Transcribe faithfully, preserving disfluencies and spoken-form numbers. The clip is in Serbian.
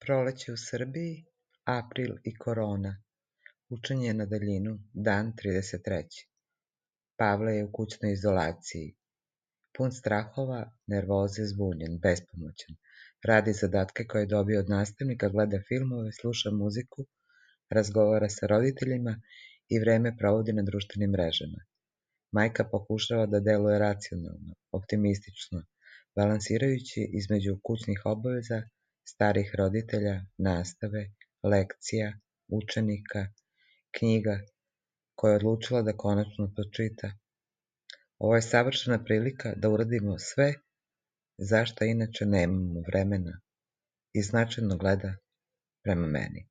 Proleće u Srbiji, april i korona. Učenje na daljinu, dan trideset treći. Pavle je u kućnoj izolaciji. Pun strahova, nervoze, zbunjen, bespomoćan. Radi zadatke koje je dobio od nastavnika, gleda filmove, sluša muziku, razgovara sa roditeljima i vreme provodi na društvenim mrežama. Majka pokušava da deluje racionalno, optimistično, balansirajući između kućnih obaveza, starih roditelja, nastave, lekcija, učenika, knjiga koje je odlučila da konačno pročita. Ovo je savršena prilika da uradimo sve za šta inače nemamo vremena i značajno gleda prema meni.